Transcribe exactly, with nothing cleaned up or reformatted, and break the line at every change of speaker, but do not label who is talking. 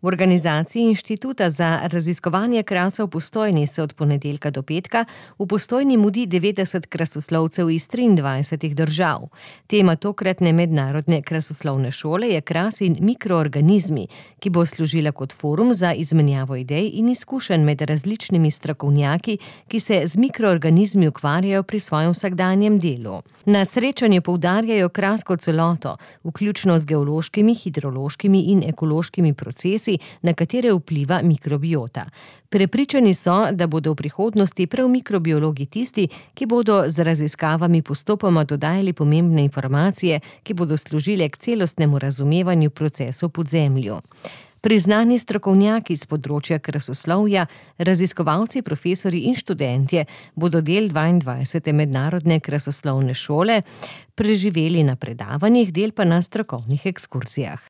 V organizaciji Inštituta za raziskovanje krasa v Postojni se od ponedeljka do petka v Postojni mudi devetdeset krasoslovcev iz triindvajsetih držav. Tema tokratne mednarodne krasoslovne šole je Kras in mikroorganizmi, ki bo služila kot forum za izmenjavo idej in izkušenj med različnimi strokovnjaki, ki se z mikroorganizmi ukvarjajo pri svojem vsakdanjem delu. Na srečanju poudarjajo Kras kot celoto, vključno z geološkimi, hidrološkimi in ekološkimi procesi, na katere vpliva mikrobiota. Prepričani so, da bodo v prihodnosti prav mikrobiologi tisti, ki bodo z raziskavami postopoma dodajali pomembne informacije, ki bodo služile k celostnemu razumevanju procesov pod zemljo. Priznani strokovnjaki s področja krasoslovja, raziskovalci, profesorji in študentje bodo del dvaindvajsete mednarodne krasoslovne šole preživeli na predavanjih, del pa na strokovnih ekskurzijah.